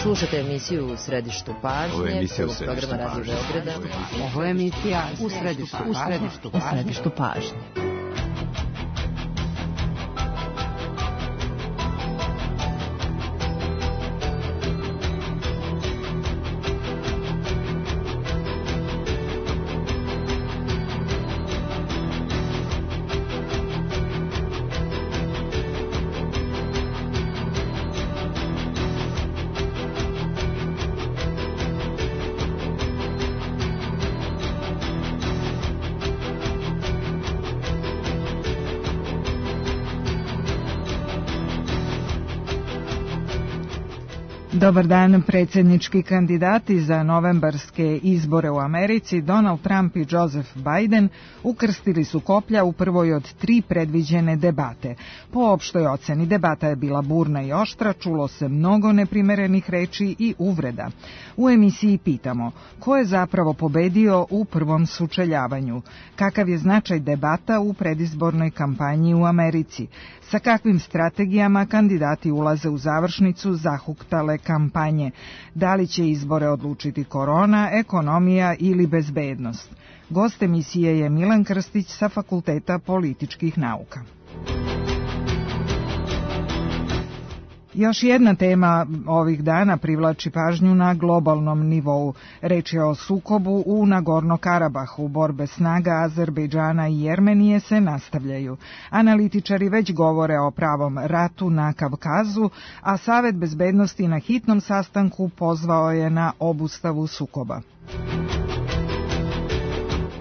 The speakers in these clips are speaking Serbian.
Slušate emisiju U središtu pažnje. Ovo je emisija U središtu pažnje. Ovo je emisija U središtu pažnje. Dobar dan. Predsjednički kandidati za novembarske izbore u Americi, Donald Trump i Joseph Biden, ukrstili su koplja u prvoj od 3 predviđene debate. Po opštoj oceni debata je bila burna i oštra, čulo se mnogo neprimerenih reči i uvreda. U emisiji pitamo ko je zapravo pobedio u prvom sučeljavanju, kakav je značaj debata u predizbornoj kampanji u Americi, sa kakvim strategijama kandidati ulaze u završnicu zahuktale kampanje, da li će izbore odlučiti korona, ekonomija ili bezbednost. Gost emisije je Milan Krstić sa Fakulteta političkih nauka. Još jedna tema ovih dana privlači pažnju na globalnom nivou. Reč je o sukobu u Nagorno-Karabahu. Borbe snaga Azerbejdžana i Jermenije se nastavljaju. Analitičari već govore o pravom ratu na Kavkazu, a Savet bezbednosti na hitnom sastanku pozvao je na obustavu sukoba.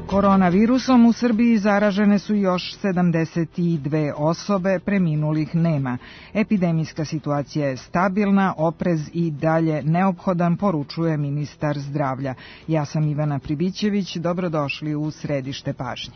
Koronavirusom u Srbiji zaražene su još 72 osobe, preminulih nema. Epidemijska situacija je stabilna, oprez i dalje neophodan, poručuje ministar zdravlja. Ja sam Ivana Pribićević, dobrodošli u središte pažnje.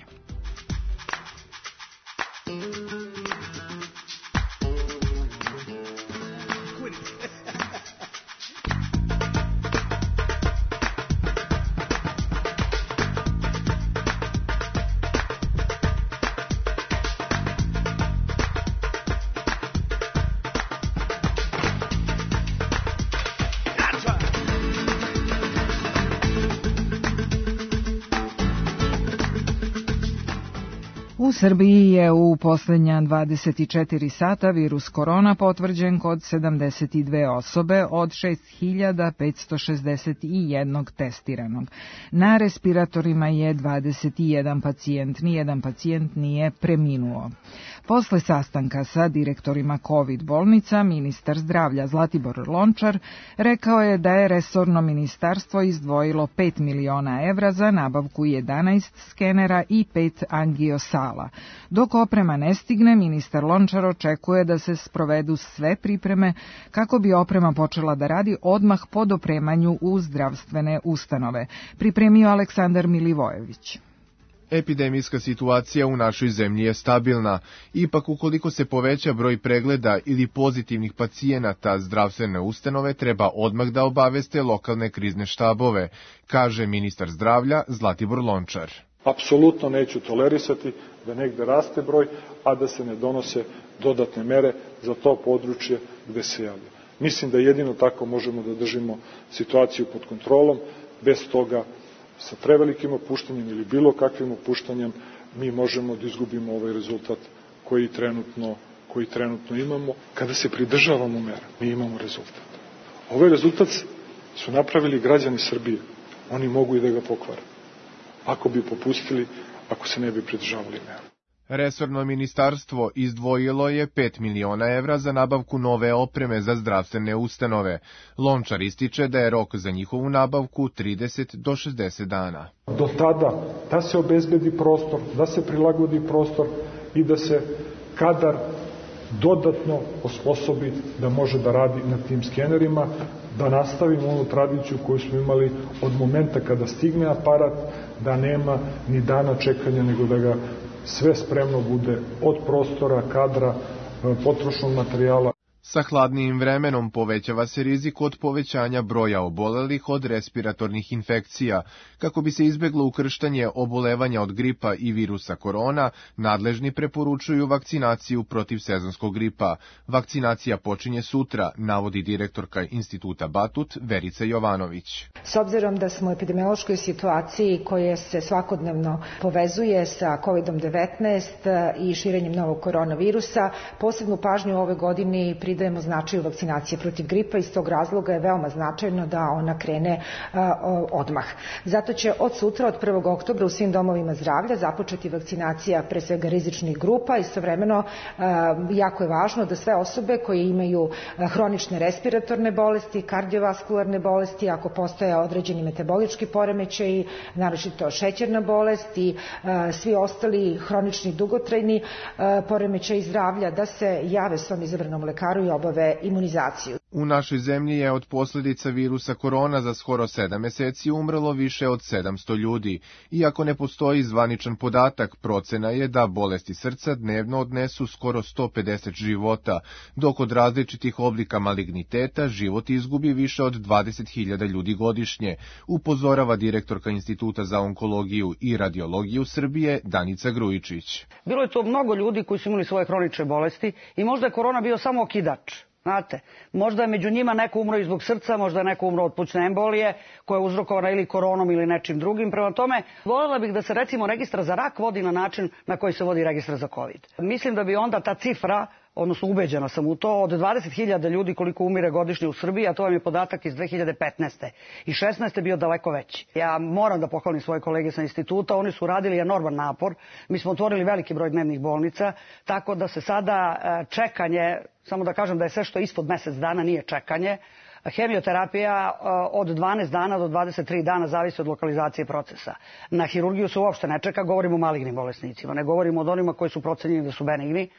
U Srbiji je u posljednja 24 sata virus korona potvrđen kod 72 osobe od 6561 testiranog. Na respiratorima je 21 pacijent, nijedan pacijent nije preminuo. Posle sastanka sa direktorima COVID bolnica, ministar zdravlja Zlatibor Lončar rekao je da je resorno ministarstvo izdvojilo 5 miliona evra za nabavku 11 skenera i 5 angiosala. Dok oprema ne stigne, ministar Lončar očekuje da se sprovedu sve pripreme kako bi oprema počela da radi odmah po dopremanju u zdravstvene ustanove. Pripremio Aleksandar Milivojević. Epidemijska situacija u našoj zemlji je stabilna. Ipak, ukoliko se poveća broj pregleda ili pozitivnih pacijenata, zdravstvene ustanove treba odmah da obaveste lokalne krizne štabove, kaže ministar zdravlja Zlatibor Lončar. Apsolutno neću tolerisati da negde raste broj, a da se ne donose dodatne mere za to područje gde se javlja. Mislim da jedino tako možemo da držimo situaciju pod kontrolom. Bez toga, sa prevelikim opuštanjem ili bilo kakvim opuštanjem, mi možemo da izgubimo ovaj rezultat koji trenutno imamo. Kada se pridržavamo mera, mi imamo rezultat. Ovaj rezultat su napravili građani Srbije. Oni mogu i da ga pokvare. Ako bi popustili, ako se ne bi pridržavali mera. Resorno ministarstvo izdvojilo je 5 miliona evra za nabavku nove opreme za zdravstvene ustanove. Lončar ističe da je rok za njihovu nabavku 30 do 60 dana. Do tada da se obezbedi prostor, da se prilagodi prostor i da se kadar dodatno osposobi da može da radi na tim skenerima, da nastavimo onu tradiciju koju smo imali od momenta kada stigne aparat, da nema ni dana čekanja, nego da ga sve spremno bude od prostora, kadra, potrošnog materijala. Sa hladnijim vremenom povećava se rizik od povećanja broja obolelih od respiratornih infekcija. Kako bi se izbeglo ukrštanje obolevanja od gripa i virusa korona, nadležni preporučuju vakcinaciju protiv sezonskog gripa. Vakcinacija počinje sutra, navodi direktorka Instituta Batut Verica Jovanović. S obzirom da smo u epidemiološkoj situaciji koja se svakodnevno povezuje sa COVID-19 i širenjem novog koronavirusa, posebnu pažnju u ove godini pridajemo značaju vakcinacije protiv gripa i iz tog razloga je veoma značajno da ona krene odmah. Zato će od sutra, od 1. oktobra u svim domovima zdravlja započeti vakcinacija pre svega rizičnih grupa. Istovremeno jako je važno da sve osobe koje imaju hronične respiratorne bolesti, kardiovaskularne bolesti, ako postoje određeni metabolički poremećaji, naročito šećerna bolest i svi ostali hronični dugotrajni poremećaji zdravlja, da se jave svom izabranom lekaru i obave imunizaciju. U našoj zemlji je od posljedica virusa korona za skoro 7 meseci umrlo više od 700 ljudi. Iako ne postoji zvaničan podatak, procena je da bolesti srca dnevno odnesu skoro 150 života, dok od različitih oblika maligniteta život izgubi više od 20.000 ljudi godišnje, upozorava direktorka Instituta za onkologiju i radiologiju Srbije Danica Grujičić. Bilo je to mnogo ljudi koji su imali svoje hronične bolesti i možda je korona bio samo okidač. Znate, možda je među njima neko umro i zbog srca, možda je neko umro od plućne embolije koja je uzrokovana ili koronom ili nečim drugim. Prema tome, voljela bih da se recimo registar za rak vodi na način na koji se vodi registar za COVID. Mislim da bi onda ta cifra, odnosno ubeđena sam u to, od 20.000 ljudi koliko umire godišnje u Srbiji, a to vam je podatak iz 2015. I 16. bio daleko veći. Ja moram da pohvalim svoje kolege sa instituta, oni su radili enorman napor, mi smo otvorili veliki broj dnevnih bolnica, tako da se sada čekanje, samo da kažem da je sve što je ispod mesec dana nije čekanje, hemioterapija od 12 dana do 23 dana zavisi od lokalizacije procesa. Na hirurgiju se uopšte ne čeka, govorimo o malignim bolesnicima, ne govorimo od onima koji su procenjeni da su benigni.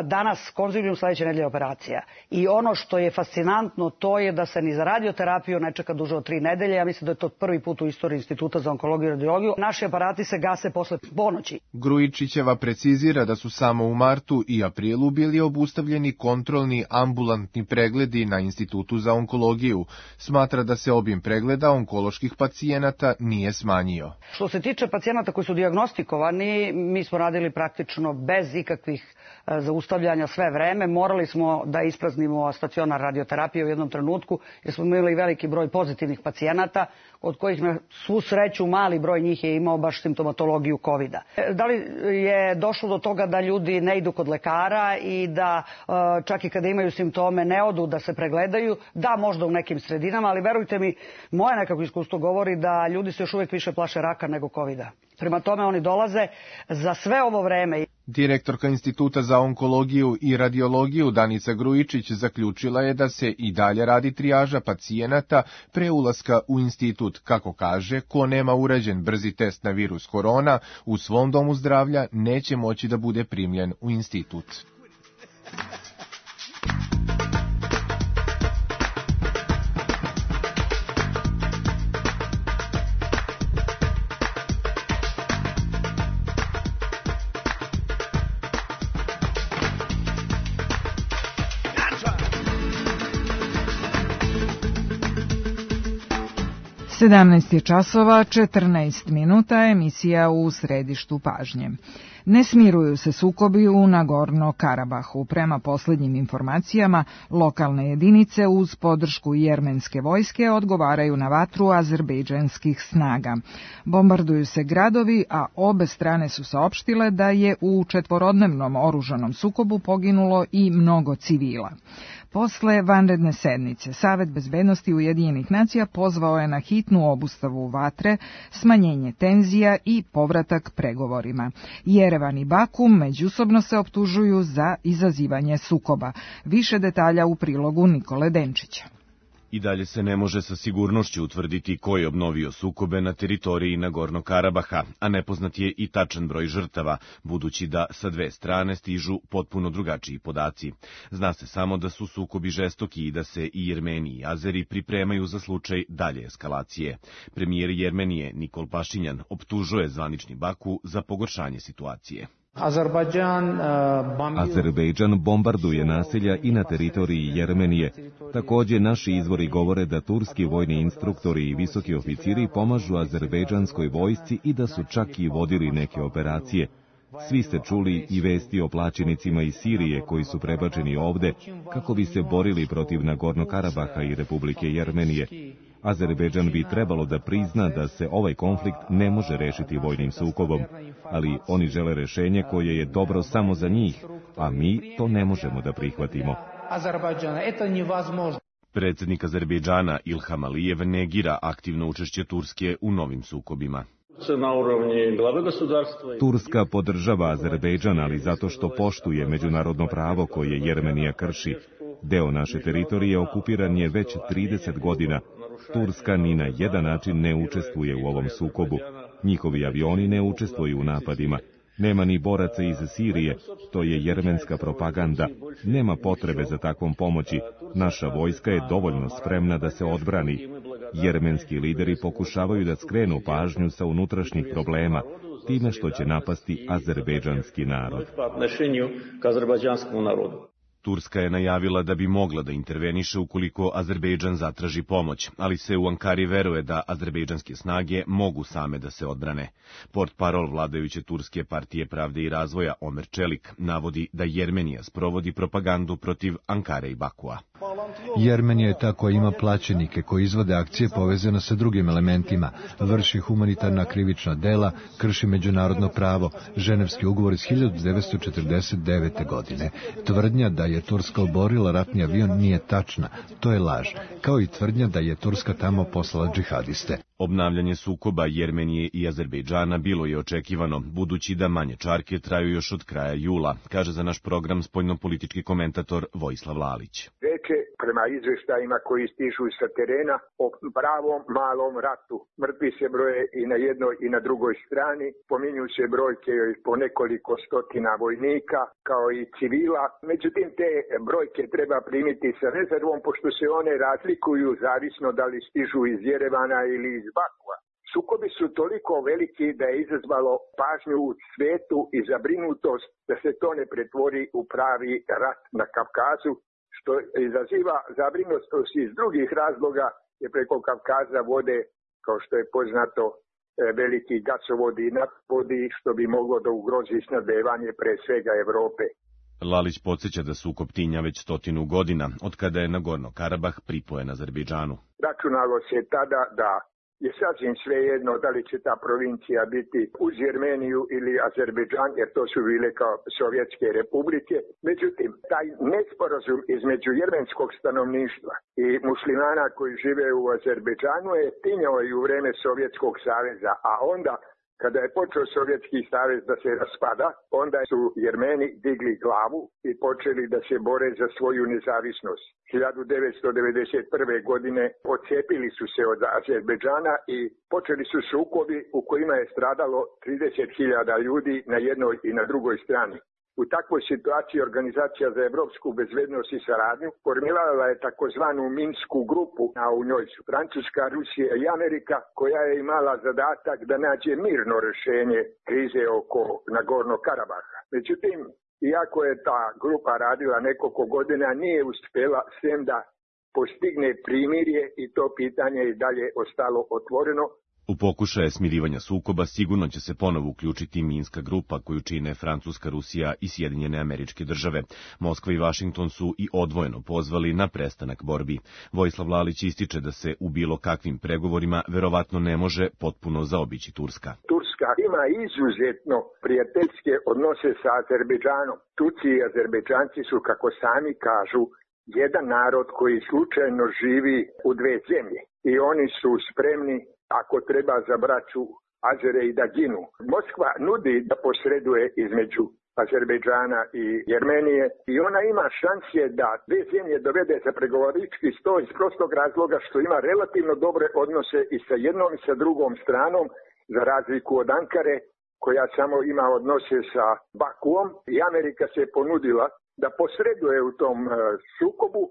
Danas konzilium, sledeće nedelje operacija. I ono što je fascinantno, to je da se ni za radioterapiju ne čeka duže od 3 nedelje. Ja mislim da je to prvi put u istoriji Instituta za onkologiju i radiologiju. Naši aparati se gase posle ponoći. Grujičićeva precizira da su samo u martu i aprilu bili obustavljeni kontrolni ambulantni pregledi na Institutu za onkologiju. Smatra da se obim pregleda onkoloških pacijenata nije smanjio. Što se tiče pacijenata koji su dijagnostikovani, mi smo radili praktično bez ikakvih zaustavljanja sve vreme. Morali smo da ispraznimo stacionar radioterapije u jednom trenutku jer smo imali veliki broj pozitivnih pacijenata od kojih na svu sreću mali broj njih je imao baš simptomatologiju COVID-a. Da li je došlo do toga da ljudi ne idu kod lekara i da čak i kada imaju simptome ne odu da se pregledaju? Da, možda u nekim sredinama, ali verujte mi, moje nekako iskustvo govori da ljudi se još uvijek više plaše raka nego COVID-a. Prema tome oni dolaze za sve ovo vreme. Direktorka Instituta za onkologiju i radiologiju Danica Grujičić zaključila je da se i dalje radi trijaža pacijenata pre ulaska u institut. Kako kaže, ko nema urađen brzi test na virus korona u svom domu zdravlja neće moći da bude primljen u institut. Sedamnaest je časova, 14 minuta, emisija u središtu pažnje. Ne smiruju se sukobi u Nagorno-Karabahu. Prema poslednjim informacijama, lokalne jedinice uz podršku jermenske vojske odgovaraju na vatru azerbejdžanskih snaga. Bombarduju se gradovi, a obe strane su saopštile da je u četvorodnevnom oružanom sukobu poginulo i mnogo civila. Posle vanredne sednice, Savet bezbednosti Ujedinjenih nacija pozvao je na hitnu obustavu vatre, smanjenje tenzija i povratak pregovorima. Jerevan i Baku međusobno se optužuju za izazivanje sukoba. Više detalja u prilogu Nikole Denčića. I dalje se ne može sa sigurnošću utvrditi ko je obnovio sukobe na teritoriji Nagorno-Karabaha, a nepoznat je i tačan broj žrtava, budući da sa dve strane stižu potpuno drugačiji podaci. Zna se samo da su sukobi žestoki i da se i Jermeni i Azeri pripremaju za slučaj dalje eskalacije. Premijer Jermenije Nikol Pašinjan optužuje zvanični Baku za pogoršanje situacije. Azerbejdžan bombarduje naselja i na teritoriji Jermenije. Takođe, naši izvori govore da turski vojni instruktori i visoki oficiri pomažu azerbejdžanskoj vojsci i da su čak i vodili neke operacije. Svi ste čuli i vesti o plaćenicima iz Sirije koji su prebačeni ovde kako bi se borili protiv Nagorno-Karabaha i Republike Jermenije. Azerbejdžan bi trebalo da prizna da se ovaj konflikt ne može rešiti vojnim sukobom, ali oni žele rešenje koje je dobro samo za njih, a mi to ne možemo da prihvatimo. Predsednik Azerbejdžana Ilham Alijev negira aktivno učešće Turske u novim sukobima. Turska podržava Azerbejdžan, ali zato što poštuje međunarodno pravo koje Jermenija krši. Deo naše teritorije okupiran je već 30 godina. Turska ni na jedan način ne učestvuje u ovom sukobu. Njihovi avioni ne učestvuju u napadima. Nema ni boraca iz Sirije, to je jermenska propaganda. Nema potrebe za takvom pomoći. Naša vojska je dovoljno spremna da se odbrani. Jermenski lideri pokušavaju da skrenu pažnju sa unutrašnjih problema, time što će napasti azerbejdžanski narod. Turska je najavila da bi mogla da interveniše ukoliko Azerbejdžan zatraži pomoć, ali se u Ankari veruje da azerbejdžanske snage mogu same da se odbrane. Portparol vladajuće Turske partije pravde i razvoja Omer Čelik navodi da Jermenija sprovodi propagandu protiv Ankare i Bakua. Jermenija je ta koja ima plaćenike koji izvode akcije povezane sa drugim elementima, vrši humanitarna krivična dela, krši međunarodno pravo, ženevski ugovor iz 1949. godine. Tvrdnja da je Turska oborila ratni avion nije tačna, to je laž, kao i tvrdnja da je Turska tamo poslala džihadiste. Obnavljanje sukoba Jermenije i Azerbejdžana bilo je očekivano, budući da manje čarke traju još od kraja jula, kaže za naš program spoljnopolitički komentator Vojislav Lalić. Prema izveštajima koji stižu sa terena o pravom malom ratu. Mrtvi se broje i na jednoj i na drugoj strani, pominju se brojke po nekoliko stotina vojnika, kao i civila. Međutim, te brojke treba primiti sa rezervom, pošto se one razlikuju zavisno da li stižu iz Jerevana ili iz Bakua. Sukobi su toliko veliki da je izazvalo pažnju u svetu i zabrinutost da se to ne pretvori u pravi rat na Kavkazu, što izaziva zabrinutost iz drugih razloga, jer preko Kavkaza vode, kao što je poznato, veliki gasovodi i naftovodi, što bi moglo da ugrozi snabdevanje pre svega Evrope. Lalić podsjeća da sukob tinja već 100 godina, od kada je Nagorno-Karabah pripojen Azerbejdžanu. Računalo se tada da je sasvim svejedno da li će ta provincija biti uz Jermeniju ili Azerbejdžan, jer to su bile kao sovjetske republike. Međutim, taj nesporazum između jermenskog stanovništva i muslimana koji žive u Azerbejdžanu je tinjao i u vreme Sovjetskog saveza, a onda kada je počeo Sovjetski savez da se raspada, onda su Jermeni digli glavu i počeli da se bore za svoju nezavisnost. 1991. godine odcepili su se od Azerbejdžana i počeli su sukobi u kojima je stradalo 30.000 ljudi na jednoj i na drugoj strani. U takvoj situaciji Organizacija za evropsku bezbednost i saradnju formirala je takozvanu Minsku grupu, a u njoj su Francuska, Rusija i Amerika, koja je imala zadatak da nađe mirno rešenje krize oko Nagorno-Karabaha. Međutim, iako je ta grupa radila nekoliko godina, nije uspela sem da postigne primirje i to pitanje je dalje ostalo otvoreno. U pokušaje smirivanja sukoba sigurno će se ponovo uključiti Minska grupa koju čine Francuska, Rusija i Sjedinjene Američke Države. Moskva i Vašington su i odvojeno pozvali na prestanak borbi. Vojislav Lalić ističe da se u bilo kakvim pregovorima verovatno ne može potpuno zaobići Turska. Turska ima izuzetno prijateljske odnose sa Azerbejdžanom. Turci i Azerbejdžanci su, kako sami kažu, jedan narod koji slučajno živi u dve zemlje i oni su spremni, ako treba, za braću Azere i da ginu. Moskva nudi da posreduje između Azerbejdžana i Jermenije i ona ima šanse da dve zemlje dovede za pregovorički sto iz prostog razloga što ima relativno dobre odnose i sa jednom i sa drugom stranom, za razliku od Ankare koja samo ima odnose sa Bakuom, i Amerika se ponudila da posreduje u tom sukobu,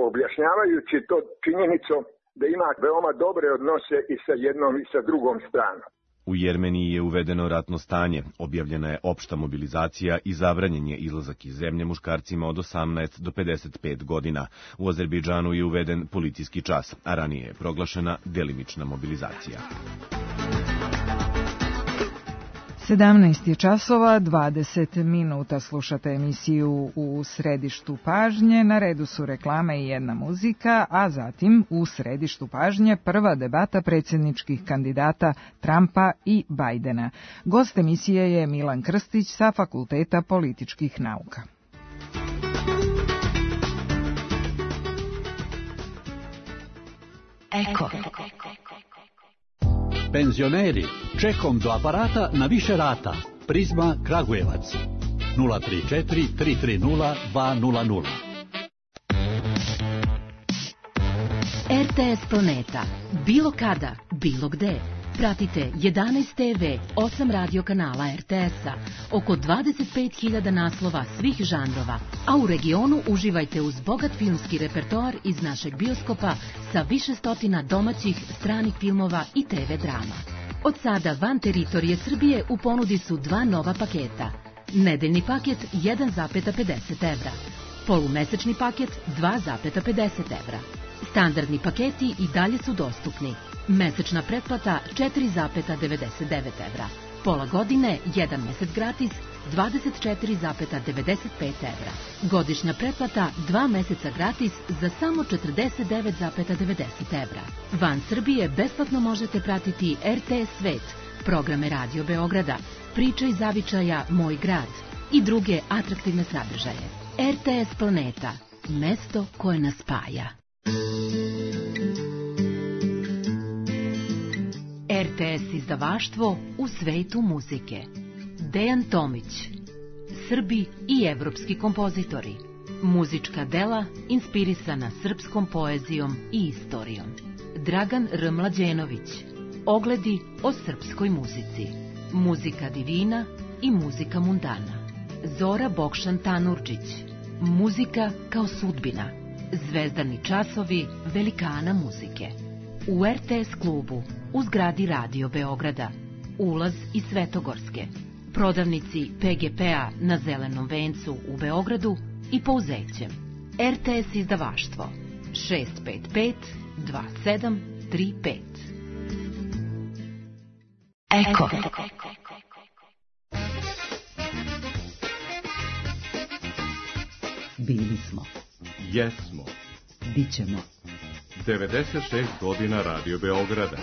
objašnjavajući to činjenicom da ima veoma dobre odnose i sa jednom i sa drugom stranom. U Jermeniji je uvedeno ratno stanje, objavljena je opšta mobilizacija i zabranjen je izlazak iz zemlje muškarcima od 18 do 55 godina. U Azerbejdžanu je uveden policijski čas, a ranije je proglašena delimična mobilizacija. 17 je časova, 20 minuta, slušate emisiju U središtu pažnje, na redu su reklame i jedna muzika, a zatim u središtu pažnje prva debata predsjedničkih kandidata Trumpa i Bajdena. Gost emisije je Milan Krstić sa Fakulteta političkih nauka. Eko. Penzioneri, čekom do aparata na više rata. Prizma Kragujevac. 034 330 200. RTS Planeta. Bilo kada, bilo gde. Pratite 11 TV, 8 radio kanala RTS-a, oko 25.000 naslova svih žanrova, a u regionu uživajte uz bogat filmski repertoar iz našeg bioskopa sa više stotina domaćih, stranih filmova i TV drama. Od sada van teritorije Srbije u ponudi su dva nova paketa. Nedeljni paket 1,50 evra, polumesečni paket 2,50 evra. Standardni paketi i dalje su dostupni. Mesečna pretplata 4,99 evra. Pola godine, 1 mesec gratis, 24,95 evra. Godišnja pretplata 2 meseca gratis za samo 49,90 evra. Van Srbije besplatno možete pratiti RTS Svet, programe Radio Beograda, Priče iz zavičaja Moj grad i druge atraktivne sadržaje. RTS Planeta, mesto koje nas spaja. RTS izdavaštvo u svetu muzike. Dejan Tomić. Srbi i evropski kompozitori. Muzička dela inspirisana srpskom poezijom i istorijom. Dragan R. Mlađenović. Ogledi o srpskoj muzici. Muzika divina i muzika mundana. Zora Bokšan Tanurđić. Muzika kao sudbina. Zvezdani časovi velikana muzike. U RTS klubu, u zgradi Radio Beograda, ulaz iz Svetogorske, prodavnici PGP-a na Zelenom vencu u Beogradu i Pouzećem. RTS izdavaštvo 655 2735. Eko. Bili smo. Jesmo. Bićemo. 96 godina Radio Beograda.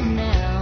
Now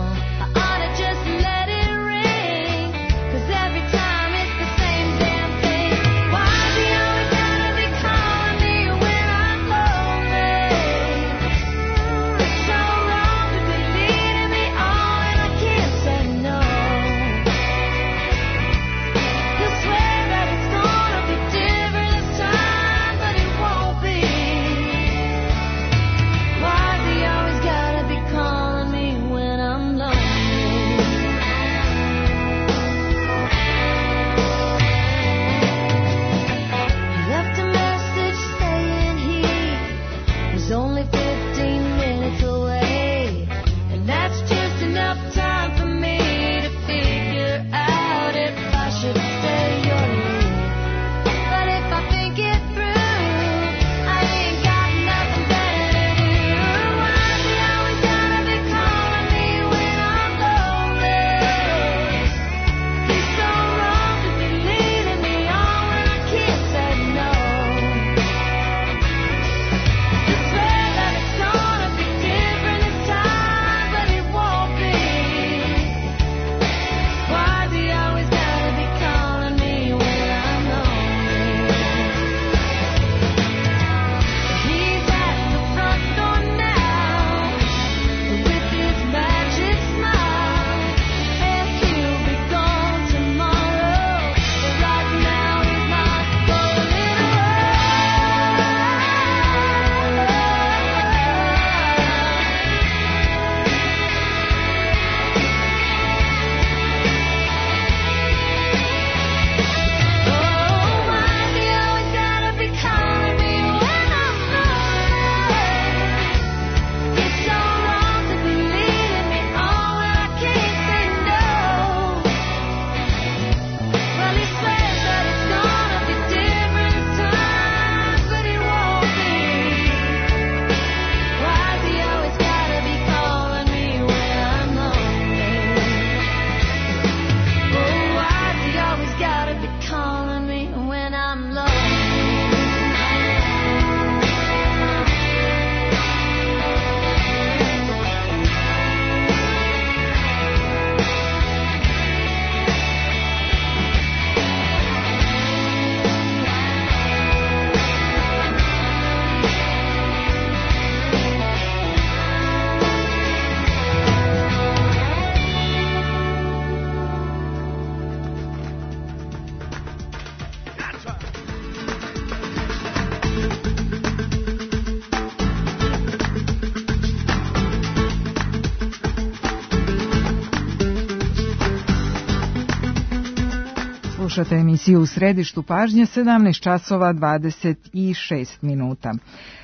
Slušate emisiju U središtu pažnje, 17 časova 26 minuta.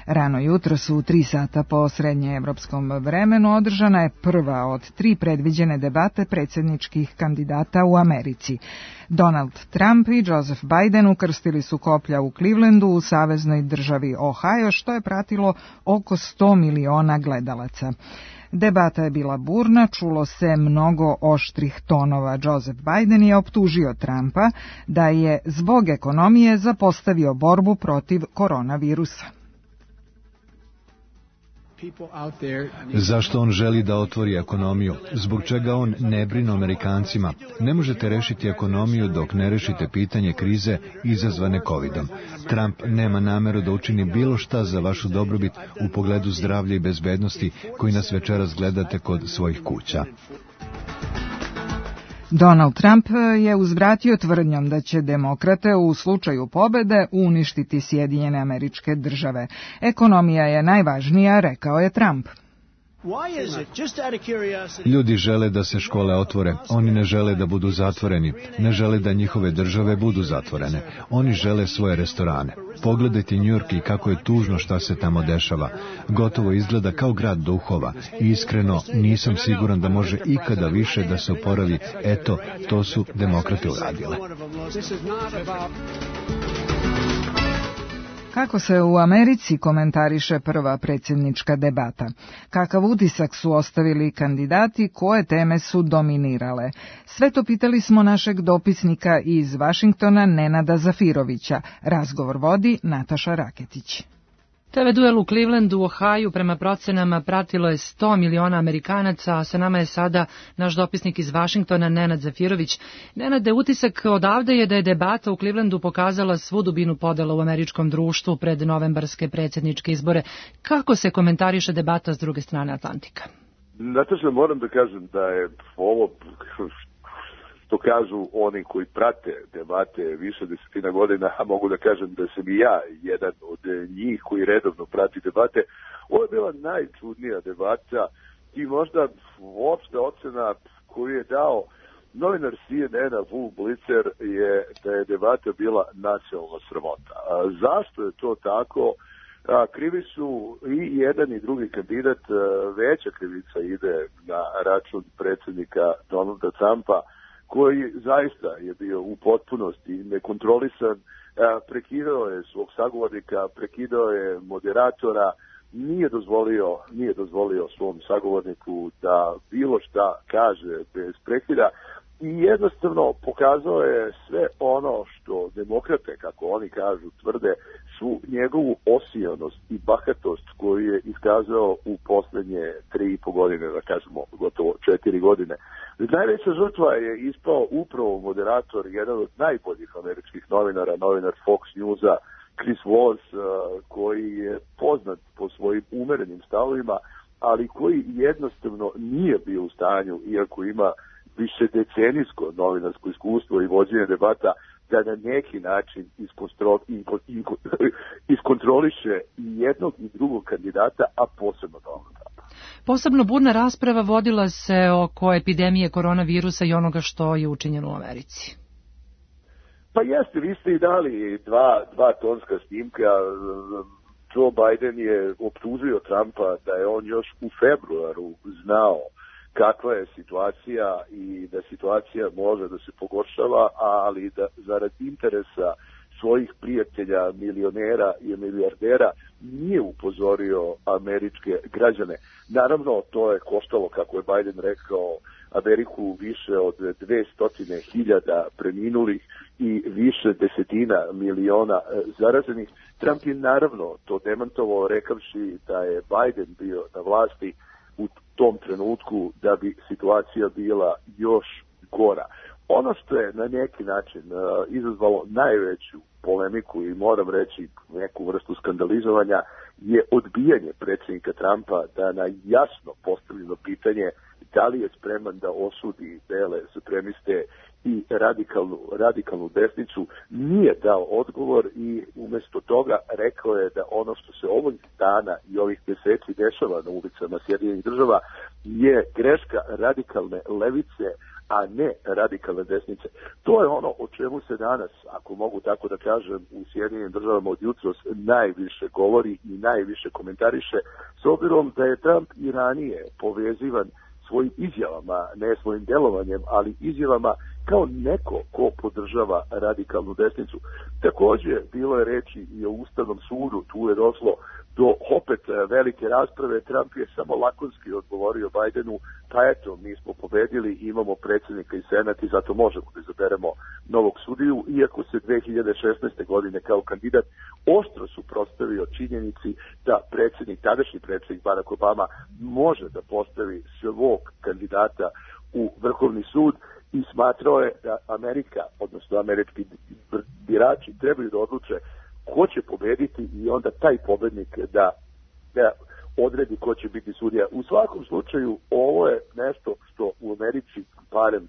Rano jutro su u 3 sata po srednjeevropskom vremenu održana je prva od 3 predviđene debate predsjedničkih kandidata u Americi. Donald Trump i Joseph Biden ukrstili su koplja u Clevelandu u saveznoj državi Ohio, što je pratilo oko 100 miliona gledalaca. Debata je bila burna, čulo se mnogo oštrih tonova. Joseph Biden je optužio Trumpa da je zbog ekonomije zapostavio borbu protiv koronavirusa. Zašto on želi da otvori ekonomiju? Zbog čega on ne brine o Amerikancima? Ne možete rešiti ekonomiju dok ne rešite pitanje krize izazvane covidom. Trump nema nameru da učini bilo šta za vašu dobrobit u pogledu zdravlja i bezbednosti koji nas večeras gledate kod svojih kuća. Donald Trump je uzvratio tvrdnjom da će demokrate u slučaju pobede uništiti Sjedinjene Američke Države. Ekonomija je najvažnija, rekao je Trump. Ljudi žele da se škole otvore, oni ne žele da budu zatvoreni, ne žele da njihove države budu zatvorene, oni žele svoje restorane. Pogledajte New York i kako je tužno šta se tamo dešava. Gotovo izgleda kao grad duhova i iskreno nisam siguran da može ikada više da se oporavi. Eto, to su demokrate uradile. Kako se u Americi komentariše prva predsjednička debata? Kakav utisak su ostavili kandidati, koje teme su dominirale? Sve to pitali smo našeg dopisnika iz Vašingtona, Nenada Zafirovića. Razgovor vodi Nataša Raketić. TV duel u Clevelandu, Ohio, prema procenama pratilo je 100 miliona Amerikanaca, a sa nama je sada naš dopisnik iz Vašingtona, Nenad Zafirović. Nenade, utisak odavde je da je debata u Clevelandu pokazala svu dubinu podela u američkom društvu pred novembarske predsjedničke izbore. Kako se komentariše debata s druge strane Atlantika? Nataša, moram da kažem da je ovo, što kažu oni koji prate debate više desetina godina, a mogu da kažem da sam i ja jedan od njih koji redovno prati debate, ovo je bila najčudnija debata i možda uopšte ocena koju je dao novinar CNN-a Wolf Blitzer je da je debata bila nacionalna sramota. Zašto je to tako? Krivi su i jedan i drugi kandidat, veća krivica ide na račun predsjednika Donalda Trumpa, koji zaista je bio u potpunosti nekontrolisan, prekidao je svog sagovornika, prekidao je moderatora, nije dozvolio svom sagovorniku da bilo šta kaže bez prekida i jednostavno pokazao je sve ono što demokrate, kako oni kažu, tvrde, svu njegovu osijanost i bahatost koju je iskazao u poslednje 3,5 godine, da kažemo gotovo 4 godine. Najveća žrtva je ispao upravo moderator, jedan od najboljih američkih novinara, novinar Fox Newsa, Chris Wallace, koji je poznat po svojim umerenim stavovima, ali koji jednostavno nije bio u stanju, iako ima više decenijsko novinarsko iskustvo i vođenje debata, da na neki način iskontroliše i jednog i drugog kandidata, a posebno Donalda Trumpa. Posebno burna rasprava vodila se oko epidemije koronavirusa i onoga što je učinjeno u Americi. Pa jeste, vi ste i dali dva tonska snimka. Joe Biden je optužio Trumpa da je on još u februaru znao kakva je situacija i da situacija može da se pogoršava, ali da zarad interesa svojih prijatelja, milionera i milijardera nije upozorio američke građane. Naravno, to je koštalo, kako je Biden rekao, Ameriku više od 200.000 preminulih i više desetina miliona zaraženih. Trump je naravno to demantovao rekavši da je Biden bio na vlasti u tom trenutku da bi situacija bila još gora. Ono što je na neki način izazvalo najveću polemiku i moram reći neku vrstu skandalizovanja je odbijanje predsjednika Trumpa da na jasno postavljeno pitanje da li je spreman da osudi bele supremiste i radikalnu desnicu, nije dao odgovor i umjesto toga rekao je da ono što se ovog dana i ovih meseci dešava na ulicama Sjedinjenih Država je greška radikalne levice, a ne radikalne desnice. To je ono o čemu se danas, ako mogu tako da kažem, u Sjedinjenim Državama od jutros najviše govori i najviše komentariše, s obzirom da je Trump i ranije povezivan svojim izjavama, ne svojim delovanjem, ali izjavama kao neko ko podržava radikalnu desnicu. Također, bilo je reči i o Ustavnom sudu, tu je došlo do opet velike rasprave. Trump je samo lakonski odgovorio Bidenu, pa eto, mi smo pobedili, imamo predsjednika i senat i zato možemo da izaberemo novog sudiju, iako se 2016. godine kao kandidat oštro suprotstavio činjenici da tadašnji predsjednik Barack Obama može da postavi svog kandidata u Vrhovni sud i smatrao je da Amerika, odnosno američki birači, trebaju da odluče ko će pobediti i onda taj pobednik da odredi ko će biti sudija. U svakom slučaju, ovo je nešto što u Americi, barem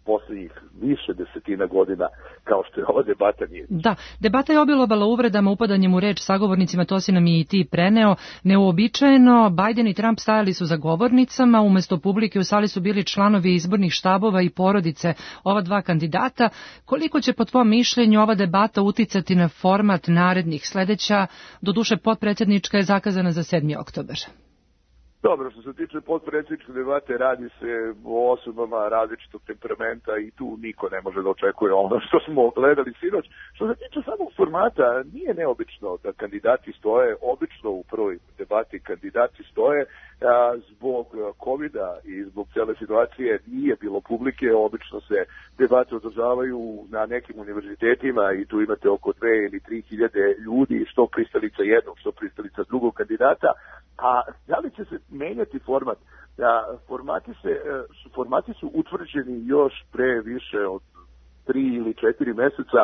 poslednjih više desetina godina, kao što je ova debata nije. Da, debata je obilovala uvredama, upadanjem u reč sagovornicima, to si nam i ti preneo. Neuobičajeno, Biden i Trump stajali su za govornicama, umesto publike u sali su bili članovi izbornih štabova i porodice ova dva kandidata. Koliko će po tvom mišljenju ova debata uticati na format narednih? Sledeća, doduše potpredsjednička, je zakazana za 7. oktobar. Dobro, što se tiče potpredsjedničke debate, radi se o osobama različitog temperamenta i tu niko ne može da očekuje ono što smo gledali sinoć. Što se tiče samog formata, nije neobično da kandidati stoje, obično u prvoj debati kandidati stoje, zbog COVID-a i zbog cele situacije nije bilo publike, obično se debate održavaju na nekim univerzitetima i tu imate oko 2 ili 3 hiljade ljudi, što pristalica jednog, što pristalica drugog kandidata. A da li će se menjati format? Formati su utvrđeni još pre više od 3 ili 4 meseca.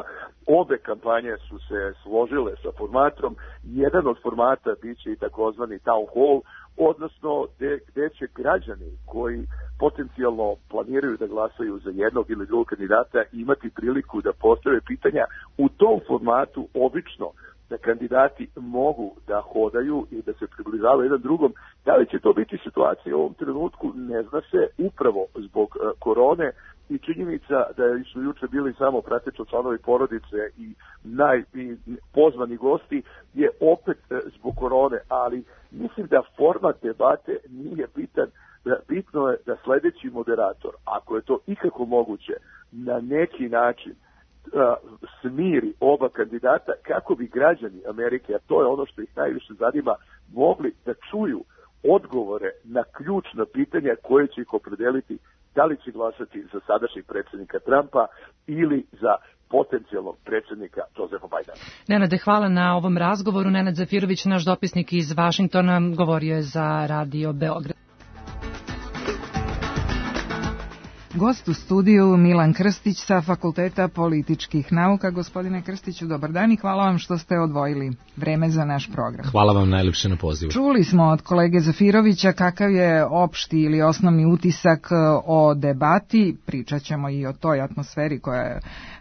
Obe kampanje su se složile sa formatom. Jedan od formata biće i takozvani town hall, odnosno gde će građani koji potencijalno planiraju da glasaju za jednog ili drugog kandidata imati priliku da postave pitanja. U tom formatu obično da kandidati mogu da hodaju i da se približavaju jedan drugom. Da li će to biti situacija u ovom trenutku, ne zna se, upravo zbog korone i činjenica da su juče bili samo prateći članovi porodice i pozvani gosti je opet zbog korone, ali mislim da format debate nije bitan. Bitno je da sledeći moderator, ako je to ikako moguće, na neki način smiri oba kandidata kako bi građani Amerike, a to je ono što ih najviše zanima, mogli da čuju odgovore na ključna pitanja koje će ih opredeliti da li će glasati za sadašnjeg predsjednika Trumpa ili za potencijalnog predsjednika Josefa Bidena. Nenade, hvala na ovom razgovoru. Nenad Zafirović, naš dopisnik iz Vašingtona, govorio je za Radio Beograd. Gost u studiju Milan Krstić sa Fakulteta političkih nauka. Gospodine Krstiću, dobar dan i hvala vam što ste odvojili vreme za naš program. Hvala vam najlepše na pozivu. Čuli smo od kolege Zafirovića kakav je opšti ili osnovni utisak o debati. Pričat ćemo i o toj atmosferi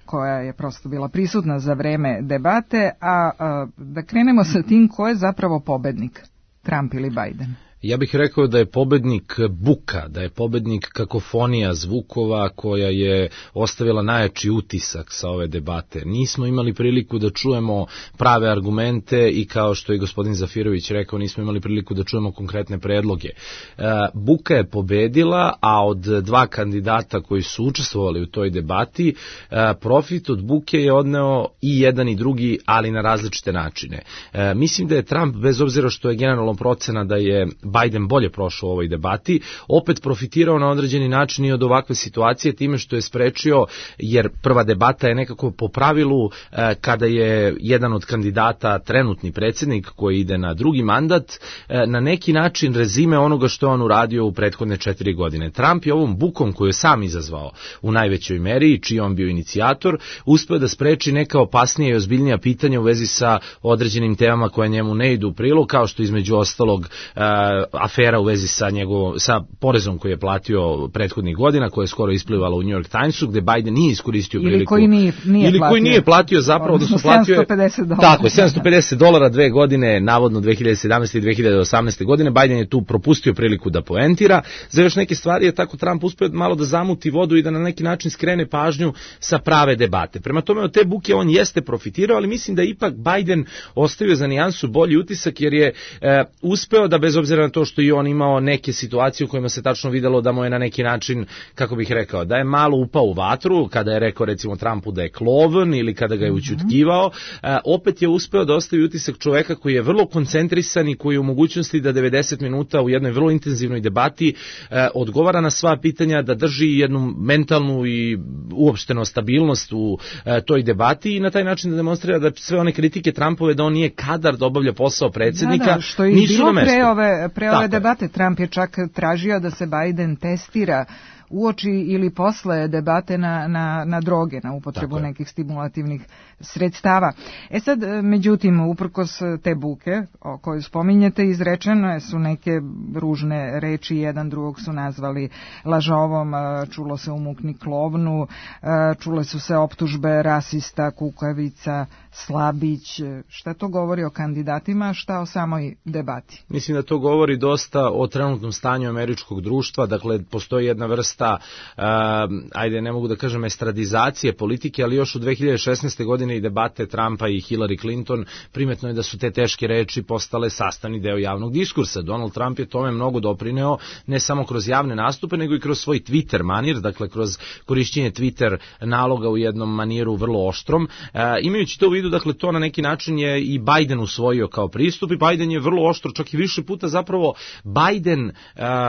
koja je prosto bila prisutna za vreme debate. A da krenemo sa tim, ko je zapravo pobednik, Trump ili Biden? Ja bih rekao da je pobednik buka, da je pobednik kakofonija zvukova koja je ostavila najjači utisak sa ove debate. Nismo imali priliku da čujemo prave argumente i kao što je gospodin Zafirović rekao, nismo imali priliku da čujemo konkretne predloge. Buka je pobedila, a od dva kandidata koji su učestvovali u toj debati, profit od buke je odneo i jedan i drugi, ali na različite načine. Mislim da je Trump, bez obzira što je generalno procena da je Biden bolje prošao u ovoj debati, opet profitirao na određeni način i od ovakve situacije time što je sprečio, jer prva debata je nekako po pravilu kada je jedan od kandidata trenutni predsjednik koji ide na drugi mandat, na neki način rezime onoga što je on uradio u prethodne 4 godine. Trump je ovom bukom koju je sam izazvao u najvećoj meri i čiji on bio inicijator, uspeo da spreči neka opasnija i ozbiljnija pitanja u vezi sa određenim temama koje njemu ne idu u prilog, kao što između ostalog afera u vezi sa porezom koji je platio prethodnih godina, koja je skoro isplivala u New York Timesu, gde Biden nije iskoristio priliku. Koji nije platio zapravo, odnosno platio je $750. Tako, $750 2 godine, navodno 2017. i 2018. godine. Biden je tu propustio priliku da poentira. Za još neke stvari je tako Trump uspeo malo da zamuti vodu i da na neki način skrene pažnju sa prave debate. Prema tome, od te buke on jeste profitirao, ali mislim da ipak Biden ostavio za nijansu bolji utisak, jer je uspeo da, bez obzira na to što i on imao neke situacije u kojima se tačno videlo da mu je na neki način, kako bih rekao, da je malo upao u vatru, kada je rekao recimo Trumpu da je klovan ili kada ga je ućutkivao, opet je uspeo da ostavi utisak čoveka koji je vrlo koncentrisan i koji je u mogućnosti da 90 minuta u jednoj vrlo intenzivnoj debati odgovara na sva pitanja, da drži jednu mentalnu i uopšteno stabilnost u toj debati i na taj način da demonstrira da sve one kritike Trumpove da on nije kadar da obavlja posao predsjednika, što je nisu bilo na mestu. Pre ove debate. Trump je čak tražio da se Biden testira uoči ili posle debate na droge, na upotrebu nekih stimulativnih sredstava. Sad, međutim, uprkos te buke o kojoj spominjete, izrečene su neke ružne reči, jedan drugog su nazvali lažovom, čulo se umukni klovnu, čule su se optužbe rasista, kukavica, slabić. Šta to govori o kandidatima, šta o samoj debati? Mislim da to govori dosta o trenutnom stanju američkog društva, dakle, postoji jedna vrsta, ajde, ne mogu da kažem estradizacije politike, ali još u 2016. godine i debate Trumpa i Hillary Clinton, primetno je da su te teške reči postale sastavni deo javnog diskursa. Donald Trump je tome mnogo doprineo, ne samo kroz javne nastupe, nego i kroz svoj Twitter manir, dakle kroz korišćenje Twitter naloga u jednom maniru vrlo oštrom. Imajući to u vidu, dakle, to na neki način je i Biden usvojio kao pristup i Biden je vrlo oštro, čak i više puta zapravo Biden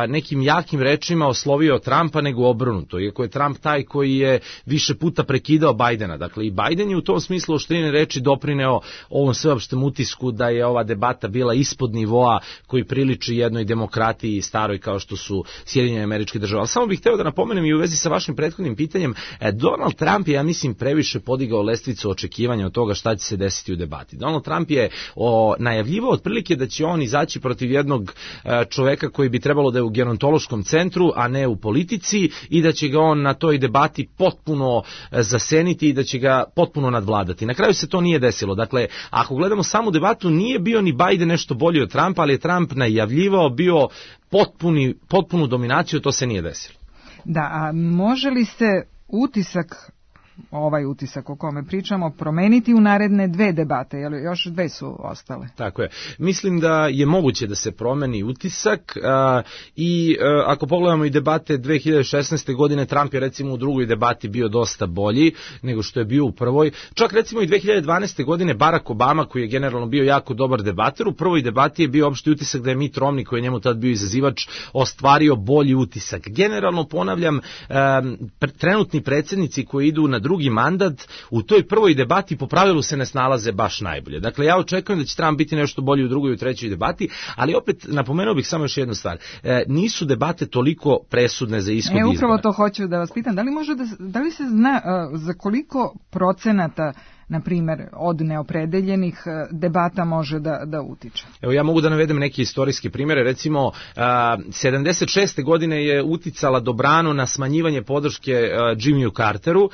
nekim jakim rečima oslovio Trumpa nego obrnuto, iako je Trump taj koji je više puta prekidao Bidena. Dakle, i Biden je u tom smislu oštrine reči doprineo ovom sveopštem utisku da je ova debata bila ispod nivoa koji priliči jednoj demokratiji staroj kao što su Sjedinjene Američke Države. Ali samo bih hteo da napomenem i u vezi sa vašim prethodnim pitanjem, Donald Trump je, ja mislim, previše podigao lestvicu očekivanja od toga šta će se desiti u debati. Donald Trump je najavljivao otprilike da će on izaći protiv jednog čoveka koji bi trebalo da je u gerontološkom centru, a ne u politici, i da će ga on na toj debati potpuno zaseniti i da će ga potpuno nadvladati. Na kraju se to nije desilo. Dakle, ako gledamo samu debatu, nije bio ni Biden nešto bolji od Trumpa, ali je Trump najavljivao bio potpunu dominaciju, to se nije desilo. Da, a može li se ovaj utisak o kome pričamo promeniti u naredne 2 debate, jer još 2 su ostale? Tako je. Mislim da je moguće da se promeni utisak i ako pogledamo i debate 2016. godine, Trump je recimo u drugoj debati bio dosta bolji nego što je bio u prvoj. Čak recimo i 2012. godine Barack Obama, koji je generalno bio jako dobar debater, u prvoj debati je bio opšti utisak da je Mitt Romney, koji je njemu tad bio izazivač, ostvario bolji utisak. Generalno, ponavljam, trenutni predsjednici koji idu na drugi mandat u toj prvoj debati po pravilu se ne snalaze baš najbolje. Dakle, ja očekujem da će Trump biti nešto bolji u drugoj i u trećoj debati, ali opet napomenuo bih samo još jednu stvar. Nisu debate toliko presudne za ishod izbora. Upravo to hoću da vas pitam. Da li se zna za koliko procenata, na primjer, od neopredeljenih debata može da utiče? Evo, ja mogu da navedem neke istorijske primjere. Recimo, 76. godine je uticala dobrano na smanjivanje podrške Jimmyu Carteru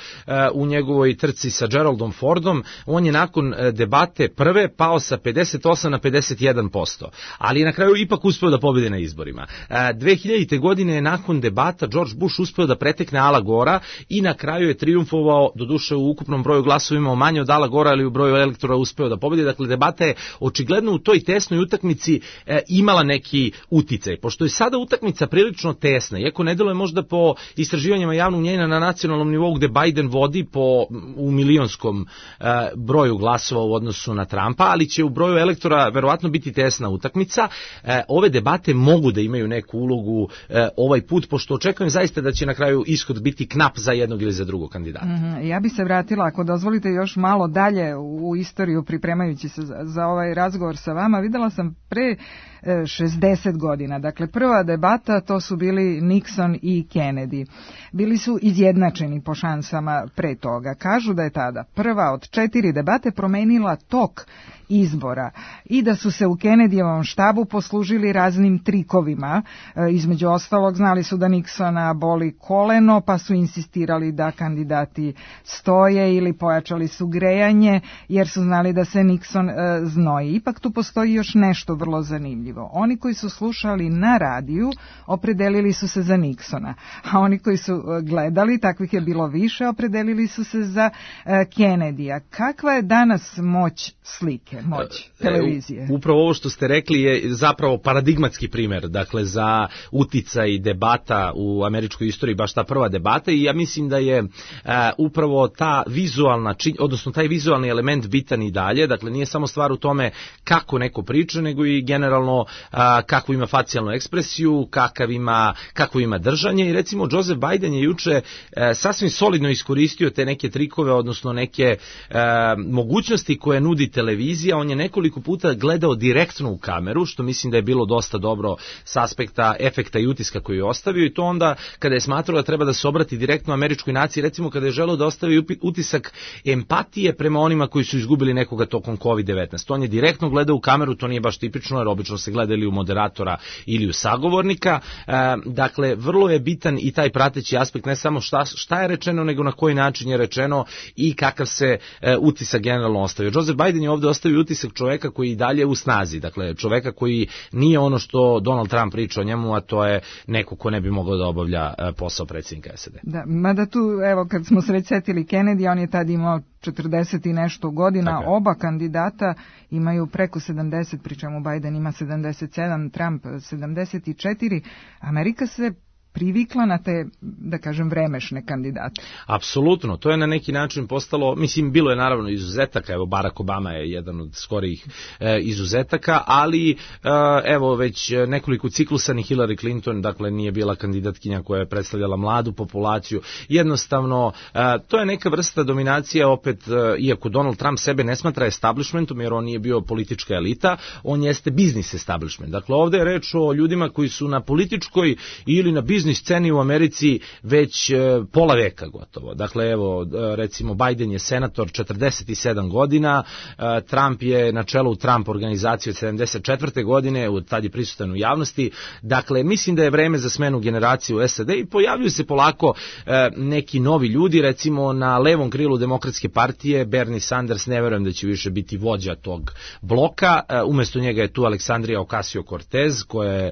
u njegovoj trci sa Geraldom Fordom. On je nakon debate prve pao sa 58 na 51%, ali je na kraju ipak uspeo da pobedi na izborima. 2000. godine je nakon debata George Bush uspeo da pretekne Ala Gora i na kraju je trijumfovao, doduše u ukupnom broju glasovima manje od Ala Gora, ali u broju elektora uspeo da pobedi. Dakle, debata je očigledno u toj tesnoj utakmici imala neki uticaj. Pošto je sada utakmica prilično tesna, iako ne deluje možda po istraživanjima javnog mnjenja na nacionalnom nivou gde Biden vodi u milionskom broju glasova u odnosu na Trumpa, ali će u broju elektora verovatno biti tesna utakmica. Ove debate mogu da imaju neku ulogu ovaj put, pošto očekujem zaista da će na kraju ishod biti knap za jednog ili za drugog kandidata. Ja bi se vratila, ako dozvolite, još malo dalje u istoriju pripremajući se za ovaj razgovor sa vama. Videla sam pre 60 godina. Dakle, prva debata, to su bili Nixon i Kennedy. Bili su izjednačeni po šansama pre toga. Kažu da je tada prva od 4 debate promenila tok izbora i da su se u Kennedyjevom štabu poslužili raznim trikovima. Između ostalog, znali su da Nixona boli koleno, pa su insistirali da kandidati stoje ili pojačali su grejanje, jer su znali da se Nixon znoji. Ipak tu postoji još nešto vrlo zanimljivo. Oni koji su slušali na radiju opredelili su se za Nixona, a oni koji su gledali, takvih je bilo više, opredelili su se za Kennedya. Kakva je danas moć slike, moć televizije? Upravo ovo što ste rekli je zapravo paradigmatski primer, dakle za uticaj debata u američkoj istoriji, baš ta prva debata, i ja mislim da je upravo ta vizualna, odnosno taj vizualni element bitan i dalje, dakle nije samo stvar u tome kako neko priča, nego i generalno kakvu ima facijalnu ekspresiju, kakvo ima držanje, i recimo Joseph Biden je juče sasvim solidno iskoristio te neke trikove, odnosno neke mogućnosti koje nudi televizija. On je nekoliko puta gledao direktno u kameru, što mislim da je bilo dosta dobro s aspekta efekta i utiska koji je ostavio, i to onda kada je smatrao da treba da se obrati direktno američkoj naciji, recimo kada je želeo da ostavi utisak empatije prema onima koji su izgubili nekoga tokom COVID-19. On je direktno gledao u kameru, to nije baš tipično, jer obično se gleda ili u moderatora ili u sagovornika. Dakle, vrlo je bitan i taj prateći aspekt, ne samo šta je rečeno, nego na koji način je rečeno i kakav se utisak generalno ostavio. Joseph Biden je ovde ostavio utisak čoveka koji i dalje u snazi, dakle čoveka koji nije ono što Donald Trump priča o njemu, a to je neko ko ne bi mogao da obavlja posao predsjednika SAD. Da, mada tu, evo, kad smo se već setili Kennedy, on je tad imao 40 i nešto godina, oba kandidata imaju preko 70, pri čemu Biden ima 77, Trump 74. Amerika se privikla na te, da kažem, vremešne kandidate. Apsolutno, to je na neki način postalo, mislim, bilo je naravno izuzetaka, evo Barack Obama je jedan od skorijih izuzetaka, ali evo već nekoliko ciklusa ni Hillary Clinton, dakle nije bila kandidatkinja koja je predstavljala mladu populaciju. Jednostavno, to je neka vrsta dominacije, opet, iako Donald Trump sebe ne smatra establishmentom, jer on nije bio politička elita, on jeste biznis establishment. Dakle, ovde je reč o ljudima koji su na političkoj ili na biznis sceni u Americi već pola veka gotovo. Dakle, evo, recimo, Biden je senator 47 godina, Trump je na čelu Trump organizacije od 74. godine, tad je prisutan u javnosti. Dakle, mislim da je vreme za smenu generacije u SAD i pojavljuju se polako neki novi ljudi, recimo na levom krilu Demokratske partije, Bernie Sanders, ne verujem da će više biti vođa tog bloka, umesto njega je tu Aleksandrija Ocasio-Cortez, koja